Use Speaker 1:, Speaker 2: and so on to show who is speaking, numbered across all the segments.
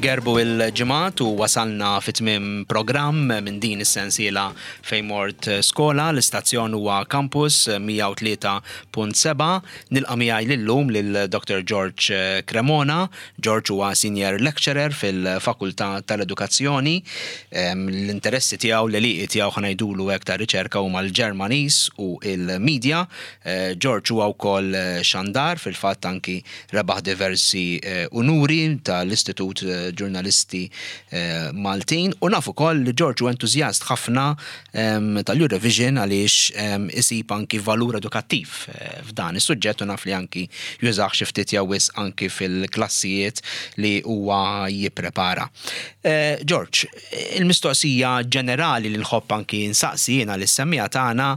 Speaker 1: Igerbu il-ġimgħat u wasalna fi tmiem programm minn din is-sensiela fejn mort skola. L-istazzjon huwa Campus 103.7. Nilqa' miegħi lillum lil Dr. George Cremona. George huwa Senior Lecturer fil-Fakultà tal-Edukazzjoni. L-interessi tiegħu, l-għelieqi tiegħu ħa ngħidulu hekk ta' riċerka huma l-Ġermaniż u l-media. George huwa wkoll xandar, fil-fatt anki Rebaħ diversi unuri tal-Istitut Ġurnalisti Maltin u naf ukoll li George hu entużjast ħafna tal-Eurovision għaliex isib anki valur edukattiv f'dan is-suġġett u naf li anki jużah xi ftit jew wisq anki fil-klassijiet li huwa jipprepara. George, il-mistoqsija ġenerali li nħobb anki nsaqsi jiena lis-semmiegħa tagħna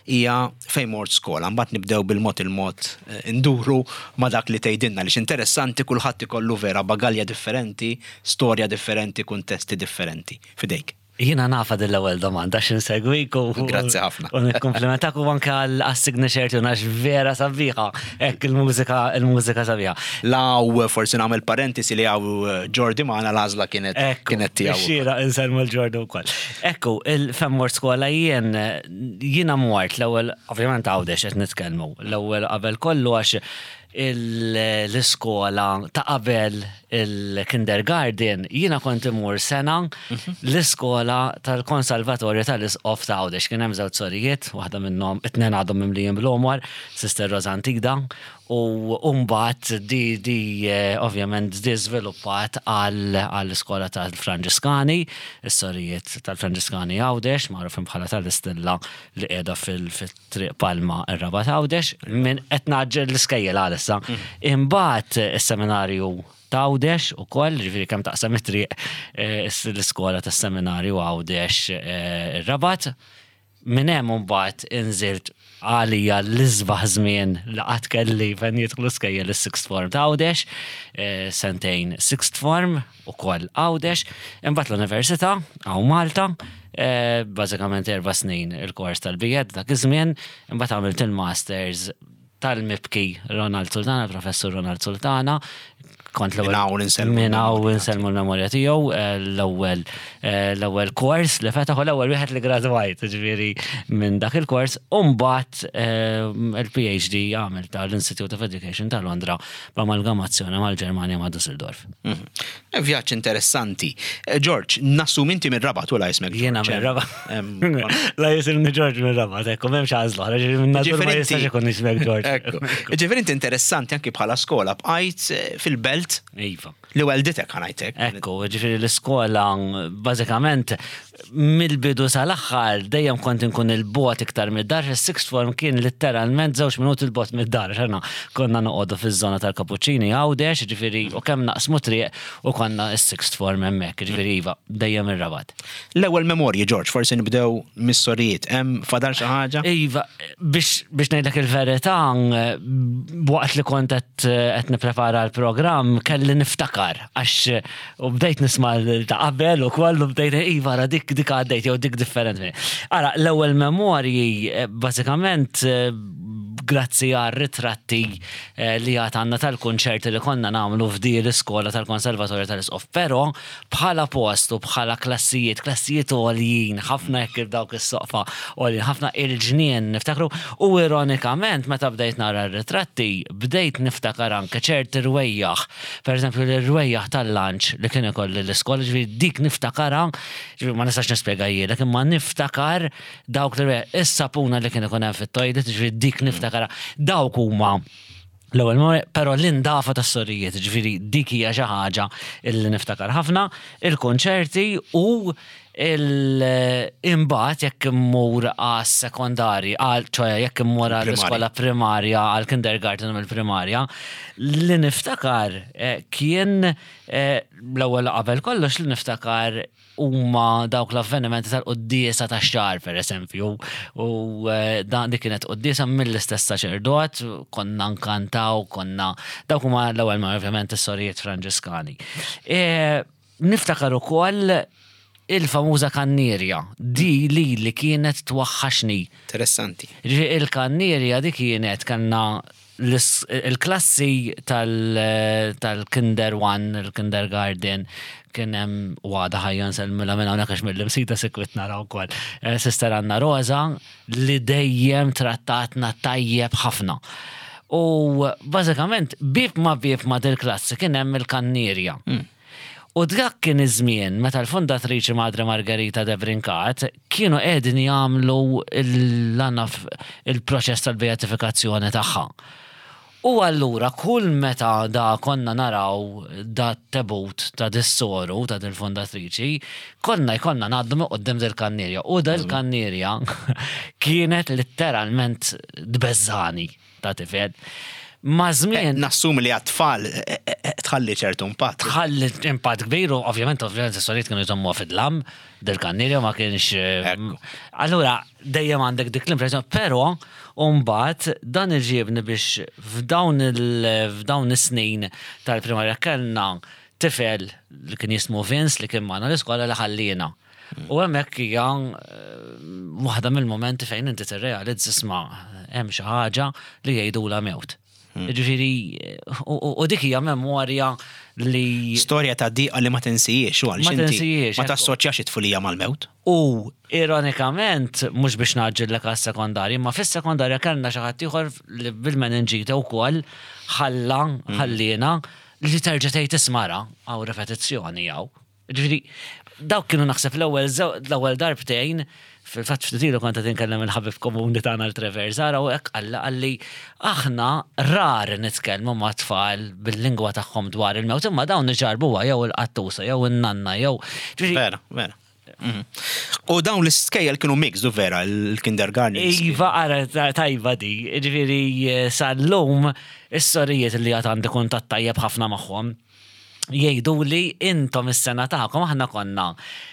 Speaker 1: hija fejn mort skola. Mbagħad nibdew bil-mod il-mod induru ma' dak li tgħidilna għaliex interessanti kulħadd ikollu vera bagalja differenti, storja differenti, kuntesti differenti. F'idejk.
Speaker 2: Jiena nafha din l-ewwel domanda għax insegwik u
Speaker 1: Grazzi ħafna.
Speaker 2: U nikkumplimentak u anke għas-signature tune għax vera sabiħa. Hekk il-mużika il-mużika sabiħa.
Speaker 1: Law forsi nagħmel parentesi li hawn Jordi magħna l-għażla kienet kienet tiegħu.
Speaker 2: Xieraq insellmu l-Jordi wkoll. Ekku, fejn mort skola jien Jiena mort l-ewwel, ovvjament Għawdex qed nitkellmu, l-ewwel qabel kollu għax l-iskola ta' qabel il-kindergarten jiena kont immur sena l-iskola tal-Konsalvatorju tal-Isqof ta' Għawdex. Kien hemm żewġ sorijiet, waħda minnhom it-tnejn għadhom mimlijin bl-għomor, Sister Rosantida, U mbagħad di di ovvjament di żviluppat għall-iskola tal-Franġiskani, is-sorijiet tal-Franġiskani Għawdex, magħrufin bħala tal-Istilla li qiegħda fil-Triq Palma ir-Rabat Għawdex, minn qed ngħaġġel l-iskejjel għalissa. Imbagħad is-seminarju t'Għawdex ukoll, ġifieri kemm taqsam it-triq l-iskola tas-seminarju Għawdex ir-Rabat. Minn hemm imbagħad inżilt għalija l-isbaħ żmien li qatt kelli fejn jidħlu skejjel is-sixth form ta' Għawdex, eh, sentejn sixth form ukoll Għawdex, imbagħad l-università hawn Malta, eh, bażikament erba' snin il-kors tal-bijed dak iż-żmien, imbagħad għamilt il-masters tal-mibki Ronald Sultana, professur Ronald Sultana, kont l-ewwel.
Speaker 1: Minn hawn insellmu.
Speaker 2: Minn hawn insellmu l-memorja tiegħu, eh, l-ewwel eh, l-ewwel kors li fetaħ u l-ewwel wieħed li gradwajt, ġifieri minn dak il-kors, u mbagħad eh, il-PhD għamil tal-Institute of Education ta' Londra b'amalgamazzjoni mal-Ġermanja ma' Düsseldorf.
Speaker 1: Mhm. Vjaġġ interessanti. Eh, George, nassum inti minn Rabat u la jismek.
Speaker 2: Jiena minn Rabat. La jisimni George minn Rabat, ekku, m'hemmx għażla, ġifieri minn nadur ma jistax ikun jismek George.
Speaker 1: Ekku. Ġifieri inti interessanti anki bħala skola bqajt eh, fil-belt.
Speaker 2: Iva.
Speaker 1: Li welditek ħanajtek.
Speaker 2: Ekku, ġifieri l-iskola bażikament Mill-bidu sal-aħħar dejjem kont inkun 'il bogħod iktar mid-dar, is-sixth form kien litteralment żewġ minuti 'l bogħod mid-dar għax aħna konna noqogħdu fiż-żona tal-Kapuċċini Għawdex, jiġifieri u kemm naqsmu triq u konna s-sixth form hemmhekk, jiġifieri iva, dejjem ir-Rabat.
Speaker 1: L-ewwel memorji, George, forsi nibdew mis-sorijiet, hemm fadal xi ħaġa?
Speaker 2: Iva, biex biex ngħidlek il-verità, waqt li kont qed qed nipprepara l-programm kelli niftakar għax U bdejt nisma' ta' qabel u koll u bdejt iva ara dik dik għaddejt jew dik differenti. Ara, l-ewwel memorji eh, bażikament eh, grazzi għal ritratti eh, li għad għandna tal-kunċerti li konna nagħmlu f'di l-iskola tal-Konservatorju tal-Isqof. Però bħala post u bħala klassijiet, klassijiet għoljin, ħafna hekk dawk is-soqfa għoljin, ħafna il-ġnien niftakru u ironikament meta bdejt nara r-ritratti bdejt niftakar anke ċerti rwejjaħ Per eżempju, l-rwejjaħ tal-lunch li kien ikolli l-iskola, ġifieri dik niftakarha, ġifieri ma nistax nispjegahielek, imma niftakar dawk l-rwejjaħ, is-sapuna li kien ikun hemm fit-toilet, ġifieri dik niftakarha. Dawk huma l-ewwel memorja, però l-indafa tas-sorijiet, ġifieri dik hija xi ħaġa li niftakar ħafna, il-kunċerti u Imbagħad jekk immur għas-sekondarji, għal ċoja jekk immur għall-iskola primarja, għall-kindergarten u l-primarja, li niftakar eh, kien eh, l-ewwel qabel kollox li niftakar huma dawk l-avvenimenti tal-quddiesa tax-xahar pereżempju. U eh, dan dik kienet quddiesa mill-istess saċerdot, konna nkantaw, konna dawk huma l-ewwel ma ovvjament is-sorijiet Franġiskani. Niftakar ukoll il-famuża kannierja, di lili kienet twaħħaxni.
Speaker 1: Interessanti.
Speaker 2: Jiġifieri il-kannierja di kienet kellna Il-klassi tal-Kinder One, il-Kindergarten, kien hemm u għadha ħajja nsellmilha minn hawnhekk għax mill-Imsida sikwit nara wkoll. Sister Anna Rosa li dejjem trattatna tajjeb ħafna. U bażikament bieb ma' bieb ma' dil-klassi kien hemm il-kannierja. U dak kien iż-żmien meta l-fundatriċi Madre Margherita de Brincat kienu qegħdin jagħmlu l-anaf il-proċess tal-beatifikazzjoni tagħha. U allura kull meta da konna naraw da t-tebut ta' dis-soru ta' dil-fundatriċi, konna jkollna ngħaddu minn quddiem dil-kannierja. U dil-kannierja kienet litteralment tbeżżagħni. ta' tifel. Ma' żmien.
Speaker 1: Nassumi li għat-tfal tħalli ċertu impatt.
Speaker 2: Tħalli impatt kbir u ovvjament ovvjament is-sorijiet kienu jżommuha fid-dlam, dil-kannierja ma kienx. Allura dejjem għandek dik l-impressjoni, però mbagħad dan iġibni biex f'dawn f'dawn is-snin tal-primarja kellna tifel li kien jismu Vince li kien magħna l-iskola li ħalliena. U hemmhekk hija waħda mill-momenti fejn inti tirrealizza isma' hemm xi ħaġa li jgħidulha mewt. Ġifieri, u dik hija memorja li.
Speaker 1: Storja ta' diqa li ma tinsihiex u għaliex inti ma tassoċjax it-tfulija mal-mewt.
Speaker 2: U ironikament, mhux biex ngħaġġillek għas-sekondarja, imma fis-sekondarja kellna xi ħadd ieħor li bil-meninġite wkoll ħalla, ħalliena, li terġa' tgħid isma' ara, hawn ripetizzjoni hawn. Ġifieri, dawk kienu naħseb l-ewwel l-ewwel darbtejn, fil-fatt ftit ilu kont qed inkellem il-ħabib komuni tagħna l-Trevor Zara u hekk qalli qalli aħna rar nitkellmu mat-tfal bil-lingwa tagħhom dwar il-mewt imma dawn iġarrbuha jew il-qattusa jew in-nanna jew
Speaker 1: ġifieri Vera, vera. Mhm. U dawn l-iskejjel kienu mixed u vera l-kindergarten.
Speaker 2: Iva, ara tajba di, ġifieri sal-lum is-sorijiet li għad għandi kuntatt tajjeb ħafna magħhom. Jgħiduli intom is-sena tagħkom aħna konna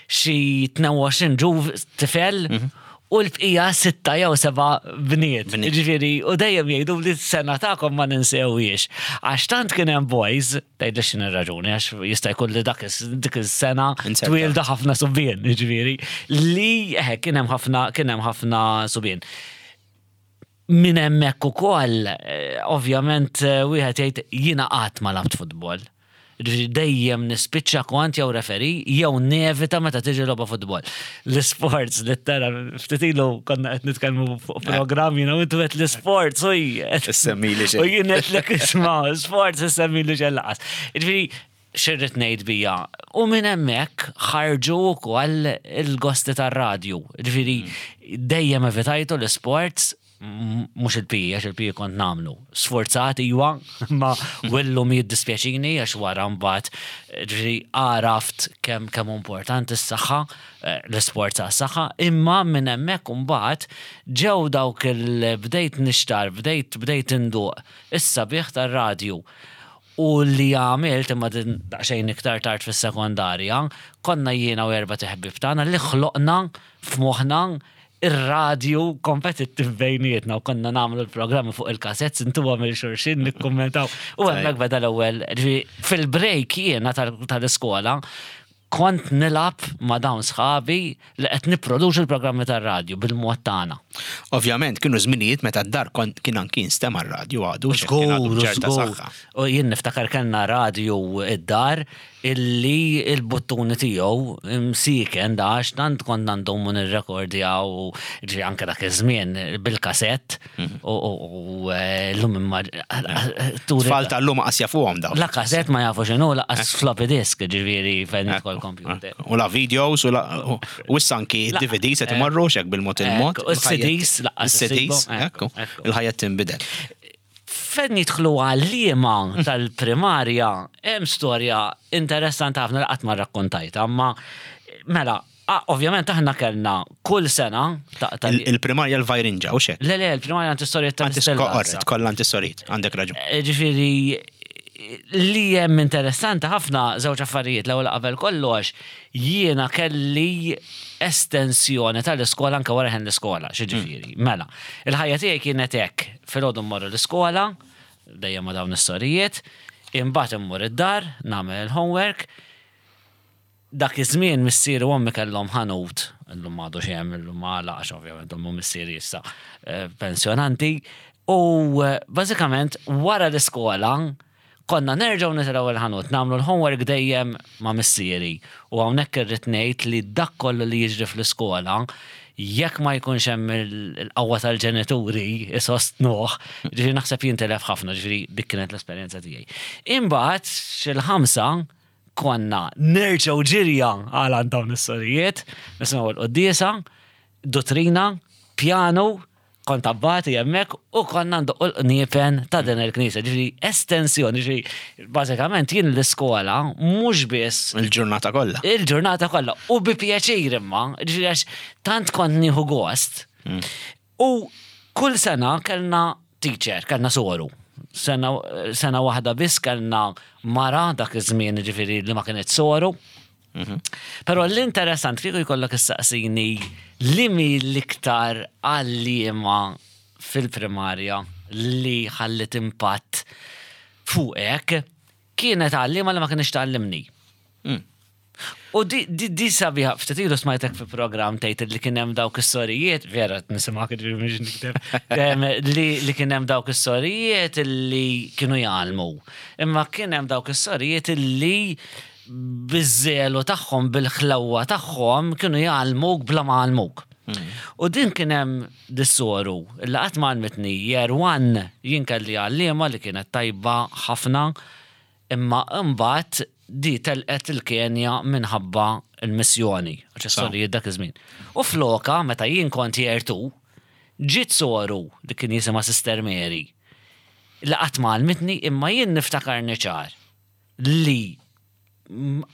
Speaker 2: xi 22 ġuv tifel u l-bqija sitta jew seba' bniet. Ġifieri, u dejjem jgħidu li s-sena tagħkom ma ninsewhiex. Għax tant kien hemm boys, tgħidli x'inhi r-raġuni, għax jista' jkun li dak dik is-sena twieldu ħafna subien, ġifieri, li eħe kien hemm ħafna kien hemm ħafna subien. Minn hemmhekk ukoll, ovvjament wieħed jgħid jiena qatt ma lgħabt futbol. Jiġifieri dejjem nispiċċa kont jew referee jew nevita meta tiġi logħba futbol. L-isports li tara ftit ilu konna qed nitkellmu fuq programm jiena u intu qed l-isports u
Speaker 1: Issemmili
Speaker 2: xejn. U jien qedlek isma' sports issemmili xejn laqas. Jiġifieri x'irrid ngħid bija? U minn hemmhekk ħarġu wkoll il-gosti tar-radju. Ġifieri dejjem evitajtu l-isports, mhux il-PE għax il-PE kont nagħmlu. Sforzat iwa, ma illum jiddispjaċini għax wara mbagħad ġifieri għaraft kemm kemm importanti s-saħħa, l-isports għas-saħħa, imma minn hemmhekk imbagħad ġew dawk il bdejt nixtar, bdejt bdejt induq is-sabiħ tar-radju. U li għamilt, imma din daqsxejn iktar tard fis-sekondarja, konna jiena u erbat iħbieb tagħna li ħloqna f'moħħna ir-radju kompetittiv bejnietna u konna nagħmlu l-programmi fuq il-cassettes intuhom lil xulxin nikkummentaw. U hemmhekk beda l-ewwel, ġifieri fil-break jiena tal-iskola kont nilgħab ma' dawn sħabi li qed nipproduċu l-programmi tar-radju bil-mod tagħna.
Speaker 1: Ovvjament kienu żminijiet meta d-dar kont kien anki jinstema' r-radju għadu
Speaker 2: Żgur, żgur. U jien niftakar kellna radju id-dar illi il-buttuni tiegħu msieken da għax tant konna ndumu nirrekordjaw u ġifieri anke dak iż-żmien bil-kasett u llum imma
Speaker 1: Tfal tal-lum qas jafuhom dawn.
Speaker 2: La kasett ma jafu x'inhu laqas floppy disk ġifieri fejn jidħol computer.
Speaker 1: U la videos u la u issa anki DVDs qed imorru x'hekk bil-mod il-mod.
Speaker 2: U CDs
Speaker 1: laqas. CDs, ekku. Il-ħajja tinbidel.
Speaker 2: Fejn jidħlu għalliema tal-primarja hemm storja interessanti ħafna li qatt ma rrakkontajtha, imma mela ovvjament aħna kellna kull sena
Speaker 1: ta' Il-primarja l-Vajrinġa, u xek?
Speaker 2: Le, le, il-primarja antistorijiet
Speaker 1: tal-Istella. Korrett, kollha antistorijiet, għandek raġun.
Speaker 2: Ġifieri, li hemm interessanti ħafna żewġ affarijiet. L-ewwel qabel kollox, jiena kelli estensjoni tal-iskola anke wara ħin l-iskola, x'jiġifieri. Mela, il-ħajja tiegħi kienet hekk, filgħodu mmorru l-iskola, dejjem ma' dawn is-sorijiet, imbagħad immur id-dar, nagħmel il-homework. Dak iż-żmien missieri u ommi kellhom ħanut, illum m'għadux hemm, illum għalaq għax ovvjament ommi u missieri issa pensjonanti. U bażikament wara l-iskola konna nerġgħu nitilgħu il-ħanut, nagħmlu l-homework dejjem ma' missieri. U hawnhekk irrid ngħid li dak kollu li jiġri fl-iskola, jekk ma jkunx hemm il-qawwa tal-ġenituri isostnuh, ġifieri naħseb jintilef ħafna, ġifieri dik kienet l-esperjenza tiegħi. Imbagħad xil-ħamsa konna nerġgħu ġirja għal għand dawn is-sorijiet, nisimgħu l-quddiesa, duttrina, pjanu, kont abbati hemmhekk u konna ndoqqu l-qniepen ta' din il-knisja. Ġifieri estensjoni, ġifieri bażikament jien l-iskola mhux biss
Speaker 1: Il-ġurnata kollha.
Speaker 2: Il-ġurnata kollha u bi pjaċir imma, ġifieri għax tant kont nieħu gost. U kull sena kellna teacher, kellna soru. Sena, sena waħda biss kellna mara dak iż-żmien ġifieri li ma kienet soru. Però l-interessant kieku jkollok issaqsini li mi l-iktar għalliema fil-primarja li ħallit impatt fuqek kienet għalliema li ma kienx tgħallimni. U di, di, di sabiħa, ftit ilu smajtek fi program tgħid li kien hemm dawk is-sorijiet, vera qed nisimgħek ġifieri mhux nikteb, li, li kien hemm dawk is-sorijiet li kienu jgħallmu. Imma kien hemm dawk is-sorijiet li biż-żelu tagħhom, bil-ħlewwa tagħhom kienu jgħallmuk bla ma għallmuk. U din kien hemm dis-soru li qatt ma għallmitni year one jien kelli għalliema li kienet tajba ħafna imma imbagħad di telqet il-Kenja minħabba l-missjoni, għax is-sorijiet dak iż-żmien. U floka meta jien kont year two, ġiet soru li kien jisimha Sister Mary li qatt ma għallmitni imma jien niftakarni ċar li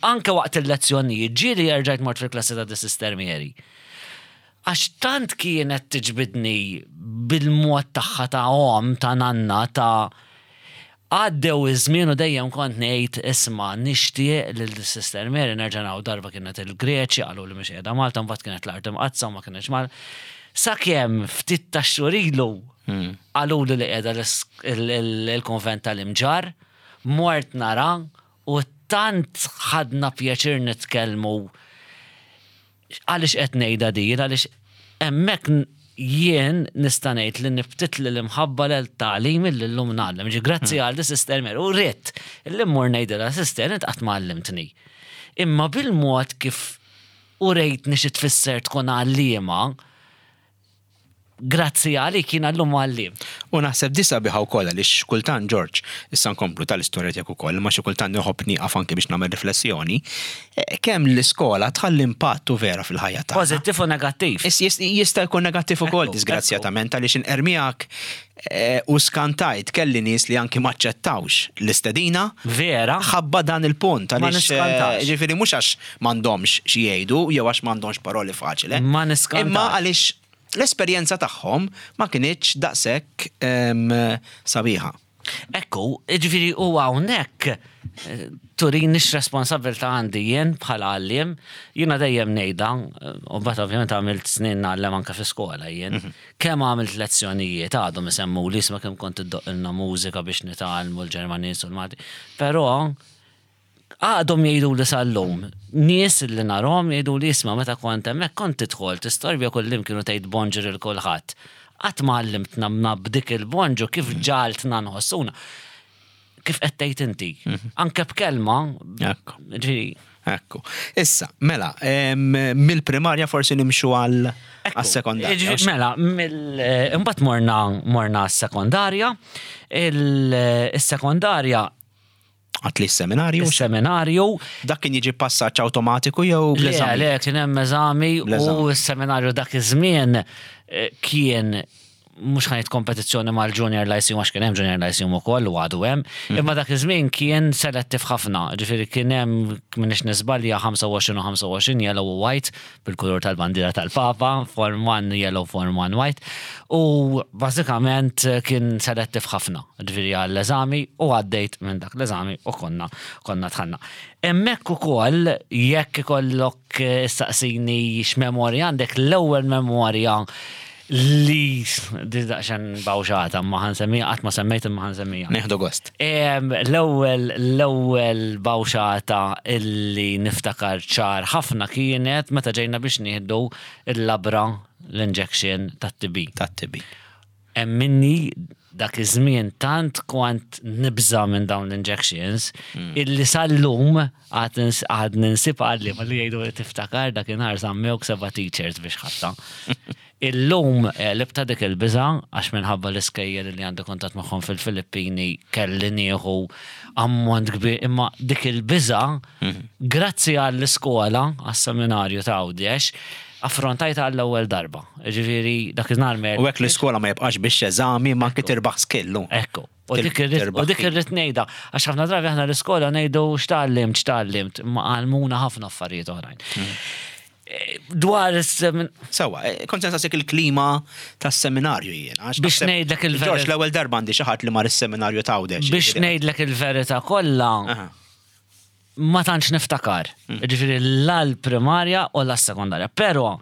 Speaker 2: anke waqt il-lezzjonijiet ġieli erġajt mort fil-klassi ta' The Sister Mary. Għax tant kienet tiġbidni bil-mod tagħha ta' om, ta' nanna, ta' għaddew iż-żmien u dejjem kont ngħid isma' nixtieq lil The Sister Mary nerġa' naraw darba kienet il-Greċja qalu li mhix qiegħda Malta mbagħad kienet l-Art Imqaddsa u ma kienx Malta. Sakemm ftit tax-xhur ilu qaluli li qiegħda l-konvent tal-Imġarr Mort nara u tant ħadna pjaċir nitkellmu għaliex qed ngħidha din għaliex hemmhekk jien nista' ngħid li nibtitli l-imħabba lil tagħlim illi llum ngħallem. Ġi grazzi għal di Sister Mary u ridt illi mmur ngħidilha Sister int qatt ma għallimtni. Imma bil-mod kif urejtni xi tfisser tkun għalliema, Grazzi għalik jiena llum għalliem.
Speaker 1: U naħseb di sabiħa wkoll għaliex kultant Ġorġ, issa nkomplu tal-istorja tiegħek ukoll, imma xi kultant inħobb nieqaf anke biex nagħmel riflessjoni, kemm l-iskola tħalli impatt u vera fil-ħajja tagħna.
Speaker 2: Pożittiv u negattiv.
Speaker 1: Jista' jkun negattiv ukoll disgrazzjatament għaliex inqer miegħek u skantajt kelli nies li anki m'aċċettawx l-istedina.
Speaker 2: Vera.
Speaker 1: Ħabba dan il-punt għaliex. Ma niskantax. Ġifieri mhux għax m'għandhomx xi jgħidu jew għax m'għandhomx paroli faċili.
Speaker 2: Ma niskantax.
Speaker 1: Imma għaliex l-esperjenza tagħhom ma kinitx daqshekk sabiħa.
Speaker 2: Ekku, ġifieri u hawnhekk eh, turini x'responsabbiltà għandi jien bħala għalliem, jiena dejjem ngħidha, eh, u mbagħad ovvjament għamilt snin ngħallem anke fi skola jien, mhm. kemm għamilt lezzjonijiet għadhom isemmuli isma' kemm kont iddoqqilna mużika biex nitgħallmu l-Ġermaniż u l-Malti. Però Għadhom jgħiduli sal-lum, nies li narhom jgħiduli isma' meta kont hemmhekk kont tidħol tistorbja kullimkien u tgħid bonġur lil kulħadd. Qatt ma għallimtna ma b'dik il-bonġu kif ġagħaltna nħossuna. Kif qed tgħid inti. Anke b'kelma.
Speaker 1: Ekku. Ġifieri. Ekku. Issa, mela, mill-primarja forsi nimxu għal sekondarja.
Speaker 2: Mela, imbagħad morna morna s-sekondarja. Il-sekondarja
Speaker 1: Għat li s-seminarju?
Speaker 2: Is-seminarju.
Speaker 1: Dak kien jiġi passaġġ awtomatiku jew
Speaker 2: bl-eżami? Le, le, kien hemm eżami u s-seminarju dak iż-żmien eh, kien mhux ħanit kompetizzjoni mal-Junior Lyceum għax kien hemm Junior Lyceum ukoll u għadu hemm, mhm. imma dak iż-żmien kien selettiv ħafna, ġifieri kien hemm minix nisbalja 25 u 25 yellow u white bil-kulur tal-bandiera tal-Papa, form 1 yellow, form 1 white, u bażikament kien selettiv ħafna, ġifieri għall-eżami u għaddejt minn dak l-eżami u konna konna dħalna. Hemmhekk ukoll jekk ikollok issaqsini x'memorja għandek, l-ewwel memorja li di daqsxejn bawxata ma ħansemmija qatt ma semmejt imma ħansemmija.
Speaker 1: Nieħdu gost.
Speaker 2: L-ewwel l-ewwel bawxata illi niftakar ċar ħafna kienet meta ġejna biex nieħdu l-labra l-injection tat-TB.
Speaker 1: Tat-TB.
Speaker 2: Emminni Dak iż-żmien tant kont nibża' minn dawn l-injections illi sal-lum għad għadni nsib għalliema li jgħidu li tiftakar dakinhar żammewk seba' teachers biex ħadtha. Illum għelibtha dik il-biża' għax minħabba l-iskejjel li għandi kuntatt magħhom fil-Filippini kelli nieħu ammont kbir imma dik il-biża' grazzi għall-iskola, għas-seminarju ta' Għawdex, Affrontajtha għall-ewwel darba. Jiġifieri dak iż-nhar
Speaker 1: me. U hekk l-iskola ma jibqax biex eżami ma anki tirbaħ skill.
Speaker 2: Ekku. U dik irrid u dik irrid ngħidha għax ħafna drabi aħna l-iskola ngħidu x'tgħallimt x'tgħallimt imma għallmuna ħafna affarijiet oħrajn. Dwar is-semin.
Speaker 1: Sewwa, kont se nsaqsik il-klima tas-seminarju jien.
Speaker 2: Biex ngħidlek il-verità.
Speaker 1: Ġorġ l-ewwel darba għandi xi ħadd li mar is-seminarju t'Għawdex.
Speaker 2: Biex ngħidlek il-verità kollha. Ma tantx niftakar. Ġifieri la l-primarja u la s-sekondarja. Però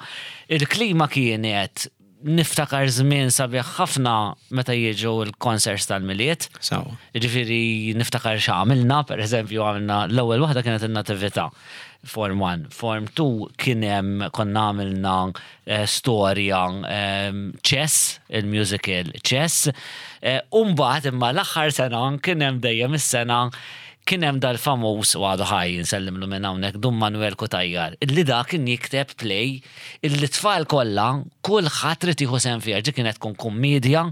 Speaker 2: il-klima kienet niftakar żmien sabiħ ħafna meta jiġu l-concerts tal-Milied.
Speaker 1: Sewwa.
Speaker 2: Ġifieri niftakar x'għamilna, pereżempju għamilna l-ewwel waħda kienet in-Natività. Form 1. Form 2 kien hemm konna għamilna storja Chess, il-musical Chess. U mbagħad imma l-aħħar sena kien hemm dejjem is-sena kien hemm dal-famuż, u għadu ħaj insellimlu minn hawnhekk, Dun Manuel Cutajar, illi dak kien jikteb play illi t-tfal kollha kulħadd ried jieħu sehem fiha, ġi kienet tkun kummiedja,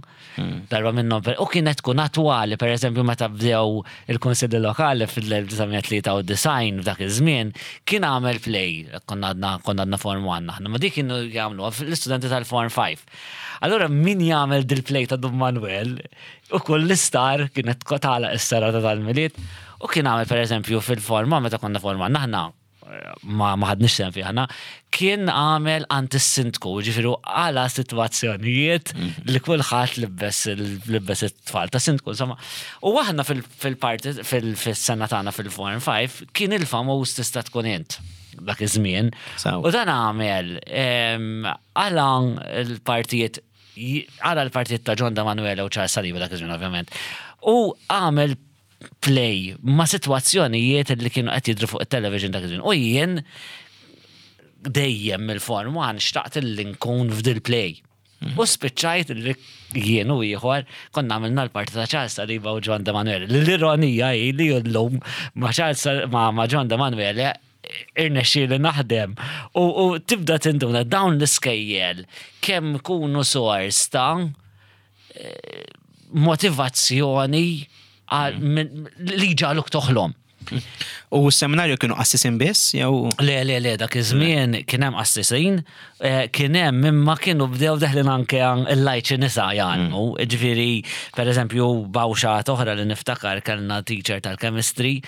Speaker 2: darba minnhom u kienet tkun attwali, pereżempju meta bdew il-Kunsilli Lokali fil-1993 f'dak iż-żmien kien għamel play, konna għadna konna għadna Form 1 aħna, ma dik kienu jagħmluha l-istudenti tal-Form 5. Allura min jagħmel dil-play ta' Dun Manuel u kull l-istar kienet tagħlaq is-serata tal-Milied u kien għamel pereżempju fil-forma meta konna forma aħna ma ma ħadniex sehem fih aħna, kien għamel għand is-sindku, ġifieri għala sitwazzjonijiet li kulħadd libbes libbes it-tfal ta' sindku, insomma. U aħna fil-parti fis-sena tagħna fil-Form 5 kien il-famuż tista' tkun int dak iż-żmien. U dan għamel għala l-partijiet għala l-partijiet ta' John D'Emanuele u Charles Saliba dak iż-żmien ovvjament. U għamel play ma' sitwazzjonijiet li kienu qed jidhru fuq it-television dak iż-żmien. U jien dejjem mill-Form 1 xtaqt li nkun f'dil play. U spiċċajt li jien u ieħor konna għamilna l-parti ta' Charles Saliba u John D'Emanuele. L-ironija hi li llum ma' Charles ma' John D'Emanuele irnexxieli naħdem. U tibda tinduna dawn l-iskejjel kemm ikunu sors ta' motivazzjoni li ġaluk toħlom.
Speaker 1: U s-seminarju kienu qassisin biss jew?
Speaker 2: Le, le, le, dak iż-żmien kien hemm qassisin, eh, kien hemm imma kienu bdew deħlin anke l-lajċi nisa jgħallmu. Mm. Ġifieri, pereżempju, bawxa oħra li niftakar kellna teacher tal-chemistry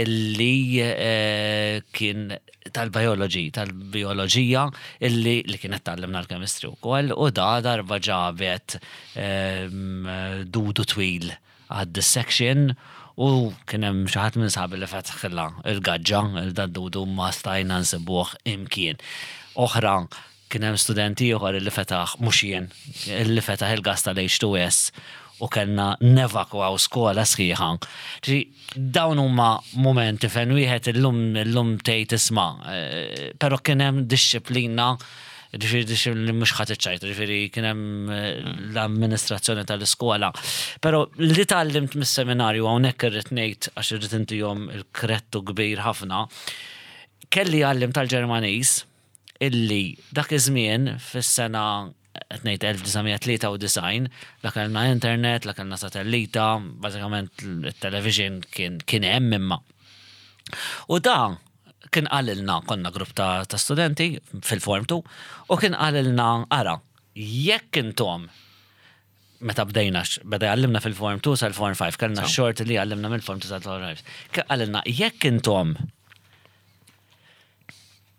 Speaker 2: illi eh, kien tal-biology, tal-bioloġija illi li kienet tgħallimna l-chemistry wkoll u da darba ġabet ehm, dudu twil għad-dissection u kien hemm xi ħadd minn sħabi li fetħilha il-gaġġa il dudu ma stajna nsibuh imkien. Oħra Kien hemm student ieħor illi fetaħ, mhux jien, illi fetaħ il-gas tal-H2S u kellna nevakwaw skola sħiħa. Ġifieri dawn huma mumenti fejn wieħed illum illum tgħid isma' però kien hemm dixxiplina ġifieri dixxiplina li mhux ħa tiċċajta, ġifieri kien hemm l-amministrazzjoni tal-iskola. Però li tgħallimt mis-seminarju hawnhekk irrid ngħid għax irrid intihom il-krettu kbir ħafna, kelli għalliem tal-Ġermaniż illi dak iż-żmien fis-sena qed ngħid 1993 la kellna internet, la kellna satellita, bażikament it-television kien kien hemm imma. U da kien qalilna, konna grupp ta', ta studenti fil-form 2, u kien qalilna ara, jekk intom meta bdejna, beda jgħallimna fil-form 2 sal-form 5, kellna x-xorti li jgħallimna mill-form 2 sal-form 5. Kien qalilna jekk intom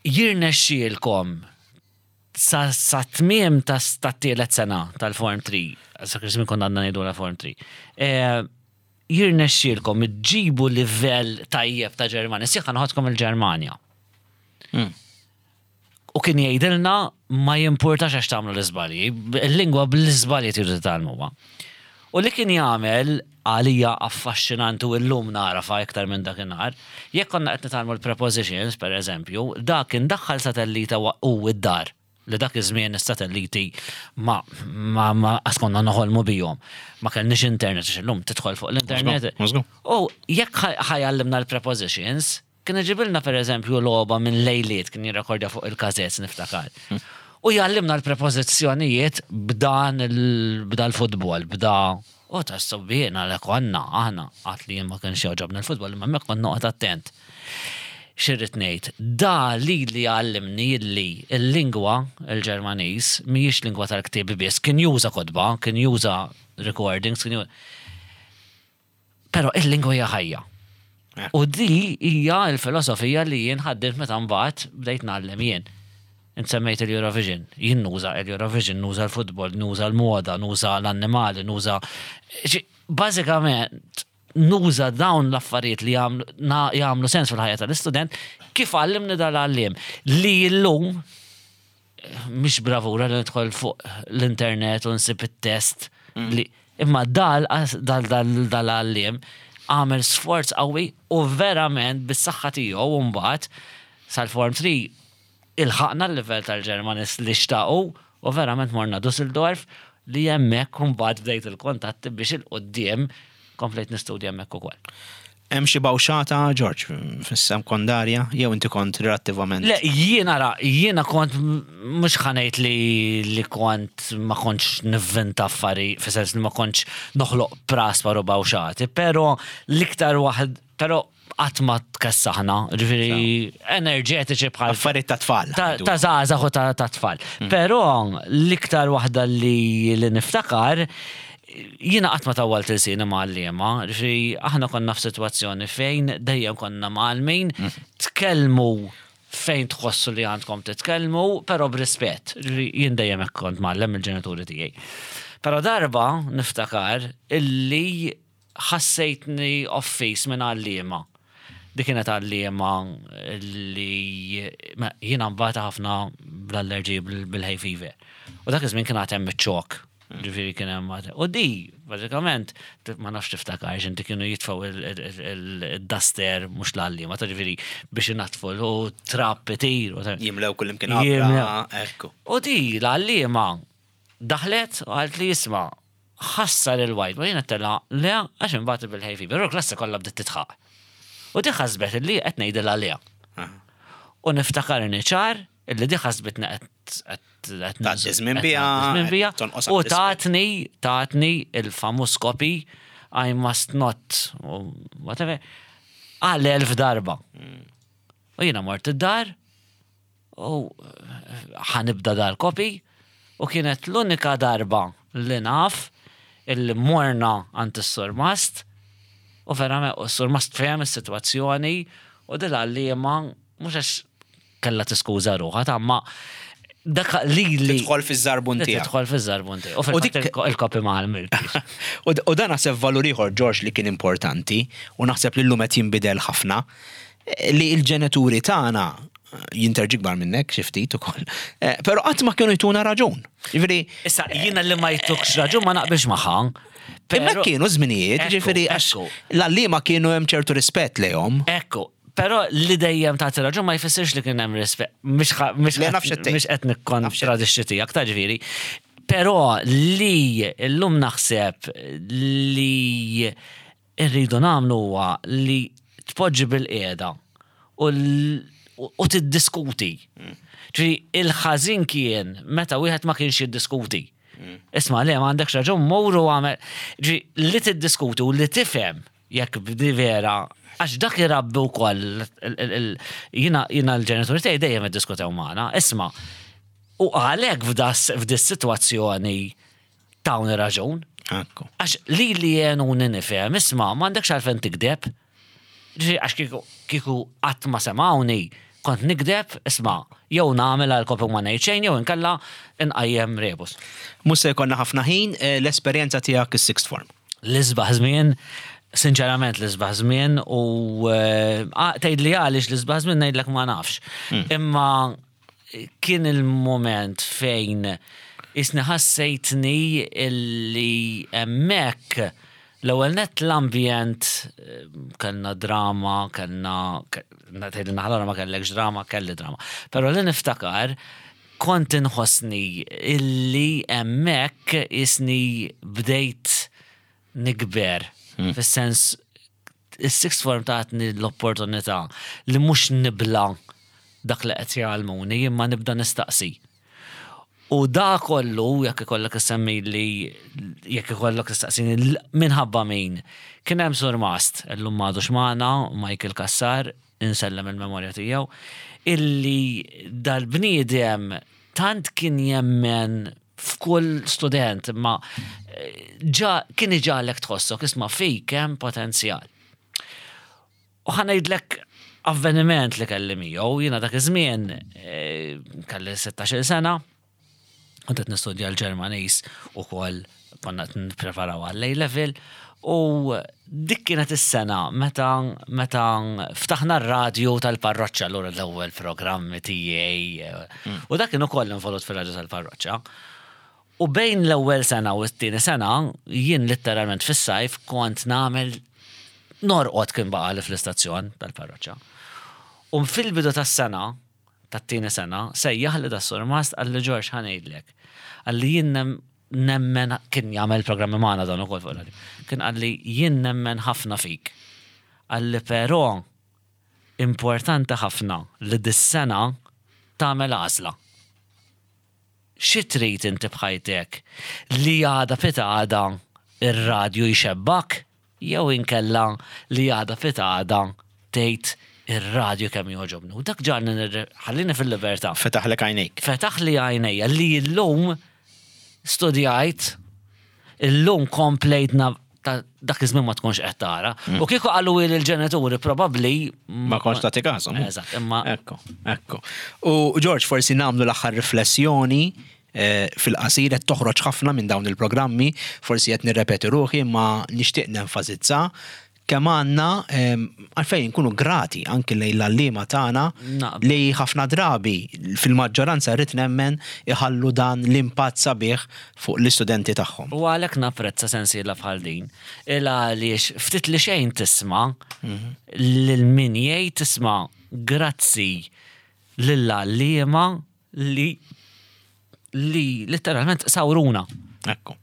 Speaker 2: jirnexxielkom sa sa tmiem tat-tielet sena tal-Form 3, sa żmien konna għadna ngħidulha Form 3, eh, jirnexxielkom iġġibu livell tajjeb ta' Ġermanja, sieħ noħodkom il-Ġermanja. Hmm. U kien jgħidilna ma jimpurtax għax tagħmlu l-iżbalji, il-lingwa bl-iżbalji tridu titgħallmuha. U li kien jagħmel għalija affaxxinanti u llum nagħrafha iktar minn dakinhar, jekk konna qed nitgħallmu l-prepositions, pereżempju, dak kien daħħal satellita hu id-dar. Li dak iż-żmien is-satelliti ma ma ma qas konna noħolmu bihom. Ma kellniex internet għax illum tidħol fuq l-internet. U jekk ħa jgħallimna l-prepositions, kien iġibilna pereżempju logħba minn lejliet kien jirrekordja fuq il-kazez niftakar. U jgħallimna l-prepożizzjonijiet b'dan b'dal-futbol, b'da u ta' s-subbiena li konna aħna għad li jien ma kienx jogħġobni l-futbol imma hemmhekk kont noqgħod attent. X'irrid ngħid? Da lili għallimni illi l-lingwa, il-Ġermaniż, mhijiex lingwa tal-ktieb biss. Kien juża kotba, kien juża recordings, kien juża. Però il-lingwa hija ħajja. U di hija l-filosofija li jien ħaddimt meta mbagħad bdejt ngħallem jien. Int semmejt il-Eurovision. Jien nuża l-Eurovision, nuża l-futbol, nuża l-moda, nuża l-annimali, nuża. Bażikament, nuża dawn l-affarijiet li jagħmlu sens fil-ħajja tal-istudent kif għallimni dal-għalliem li llum mhix bravura li nidħol fuq l-internet u nsib it-test mm. li imma dal dal dal-għalliem għamel sforz qawwi u verament bis-saħħa tiegħu mbagħad sal-form 3 ilħaqna l-livell tal-Ġermanis li xtaqu u verament morna Dusseldorf li hemmhekk imbagħad bdejt il-kuntatti biex 'il quddiem komplejt nistudja hemmhekk ukoll.
Speaker 1: Hemm xi bawxata, Ġorġ, fis-sekondarja jew inti kont relattivament?
Speaker 2: Le, jien ara, jiena kont mhux ħa ngħid li li kont ma kontx nivvinta affarijiet, fis-sens li ma kontx noħloq praspar u bawxati, però l-iktar waħd, però qatt ma tkessaħna, ġifieri enerġetiċi bħal.
Speaker 1: Affarijiet ta' tfal.
Speaker 2: Ta' żgħażagħ u ta' tfal. Mm. Però l-iktar waħda li li niftakar jiena qatt ma tawwalt ilsieni ma' għalliema, ġifieri aħna konna f'sitwazzjoni fejn dejjem konna mgħallmin mm. tkellmu fejn tħossu li għandkom titkellmu, però b'rispett. Ġifieri jien dejjem hekk kont mgħallem mill-ġenituri tiegħi. Però darba niftakar illi ħassejtni offiż minn għalliema. Dik kienet għalliema li jiena mbagħad ħafna bl-allerġiji bil-hay fever. U dak iż-żmien kien għad hemm iċ-ċok. Ġifieri kien hemm U di, bażikament, ma nafx tiftakarx inti kienu jitfgħu il-duster mhux l-għalliema, ta' ġifieri biex inaddfu u trab itir.
Speaker 1: Jimlew kullimkien għabra, ekku.
Speaker 2: U di l-għalliema daħlet u qaltli isma' ħassar il-whiteboard, jien għedtilha le għax imbagħad bil-hay fever, u l-klassi kollha bdiet tidħaq. U di ħasbet illi qed ngħidilha le. U niftakarni ċar illi di ħasbitni qed
Speaker 1: Tgħaddi żmien biha,
Speaker 2: u tatni tatni il-famuż copy I must not whatever għal 1000 darba. U jiena mort id-dar U ħa nibda dal-kopi u kienet l-unika darba li naf illi morna għand is-surmast u verament u s-surmast fehem is-sitwazzjoni u dil-għalliema mhux għax kellha tiskuża ruħha ta' ma dak li li
Speaker 1: Tidħol fiż-żarbun tiegħek.
Speaker 2: Tidħol fiż-żarbun tiegħek. U fil-fatt il-kopi ma għamiltx.
Speaker 1: U dan naħseb valur ieħor Ġorġ li kien importanti u naħseb li llum qed jinbidel ħafna li l-ġenituri tagħna jinterġi kbar minnek xi ftit ukoll. Eh, però qatt ma kienu jtuna raġun. Jiġifieri
Speaker 2: Issa jiena li ma jtukx raġun ma naqbilx magħha.
Speaker 1: Imma kienu żminijiet, jiġifieri għax l-għalliema kienu hemm ċertu rispett lejhom.
Speaker 2: Ekku, però li dejjem tagħti raġun ma jfissirx li kien hemm rispett. Mhux qed nikkontradixxi tiegħek ta' ġifieri. Però li llum naħseb li rridu nagħmlu huwa li tpoġġi bilqiegħda u u tiddiskuti. Ġifieri il-ħażin kien meta wieħed ma kienx jiddiskuti. Isma' le m'għandekx raġun mur u għamel. Ġifieri li tiddiskuti u li tifhem jekk di vera għax dak irabbi wkoll jiena jiena l-ġenituri tiegħi dejjem iddiskutew magħna. Isma' u għalhekk f'das-sitwazzjoni tawni raġun.
Speaker 1: Ekku.
Speaker 2: Għax li li jenuni nifhem, isma' m'għandekx għalfejn tigdeb. Ġifieri għax kieku kieku qatt ma semgħuni, kont nigdeb, isma' jew nagħmel għal kopi u ma ngħid xejn jew inkella nqajjem rebus.
Speaker 1: Mhux se jkollna ħafna ħin, l-esperjenza tiegħek is-sixth form.
Speaker 2: L-isbaħ żmien, sinċerament l-isbaħ żmien u tgħidli għaliex l-isbaħ żmien ngħidlek ma nafx. Imma kien il-mument fejn jisni ħassejtni illi hemmhekk l-ewwel nett l-ambjent kellna drama, kellna tgħidli naħa l-oħra ma kellekx drama, kelli drama. Però li niftakar Kont inħossni illi hemmhekk isni bdejt nikber. Fis-sens is-sixth form tatni l-opportunità li mhux nibla dak li qed jgħallmuni imma nibda nistaqsi. U da kollu, jekk ikollok issemmili, jekk ikollok tistaqsini minħabba min, kien hemm surmast, illum m'għadux magħna, Michael Cassar, insellem il-memorja tiegħu, illi dal-bniedem tant kien jemmen f'kull student, imma ġa kien iġagħlek tħossok isma' fik hemm potenzjal. U ħa ngħidlek avveniment li kelli miegħu, jiena dak iż-żmien eh, kelli 16-il sena, kont qed nistudja l-Ġermaniż ukoll konna qed nippreparaw għall-A level u dik kienet is-sena meta meta ftaħna r-radju tal-parroċċa allura l-ewwel programmi tiegħi eh, mm. u dak kien ukoll involut fir-radju tal-parroċċa. U bejn l-ewwel sena u t-tieni sena jien litteralment fis-sajf kont nagħmel norqod kien baqali fl-istazzjon tal-parroċċa. U fil-bidu tas-sena, tat-tieni sena, sejjaħli das-surmast qalli Ġorġ ħa ngħidlek. Qalli jien nemmen kien jagħmel programmi magħna dan ukoll fuq ir-radju. Kien qalli jien nemmen ħafna fik. Qalli però importanti ħafna li dis-sena tagħmel għażla. Xi trid inti b'ħajtek? Li għada pitgħada r-radju jxebbgħek jew inkella li għada pitgħada tgħid ir-radju kemm jogħġobni. U dak ġagħalni ħallini fil-libertà.
Speaker 1: Fetaħlek għajnejk.
Speaker 2: Fetaħli għajnejja li llum studjajt, illum komplejt ta' dak iż-żmien ma tkunx qed tara. Mm. U kieku qalu li l-ġenituri probabbli
Speaker 1: ma kontx tagħti każhom.
Speaker 2: Eżatt, imma.
Speaker 1: Ekku, ekku. U George forsi nagħmlu l-aħħar riflessjoni eh, fil-qasir qed toħroġ ħafna minn dawn il-programmi, forsi qed nirrepeti ruħi imma nixtieq nenfasizza kemm għandna għalfejn nkunu grati anki lejn l-għalliema tagħna li ħafna drabi fil-maġġoranza rrid nemmen iħallu dan l-impatt sabiħ fuq l-istudenti tagħhom.
Speaker 2: U għalhekk napprezza sensiela bħal din. Il għaliex ftit li xejn tisma' lil min jgħid isma' grazzi lill-għalliema li li letteralment sawruna.
Speaker 1: Ekku.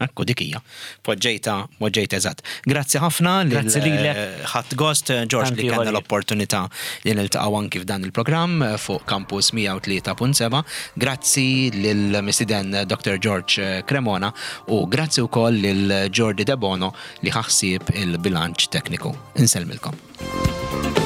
Speaker 1: Ekku dik hija. Poġġejta, poġġejta eżatt. Grazzi ħafna li
Speaker 2: Grazzi lilek.
Speaker 1: Eh, ħadd gost eh, George li kellna l-opportunità li niltaqgħu anki f'dan il-programm eh, fuq Campus 103.7. Grazzi lil mistiden Dr. George Cremona u grazzi wkoll lil Jordi Debono li ħaħsieb il-bilanċ tekniku. Insellmilkom.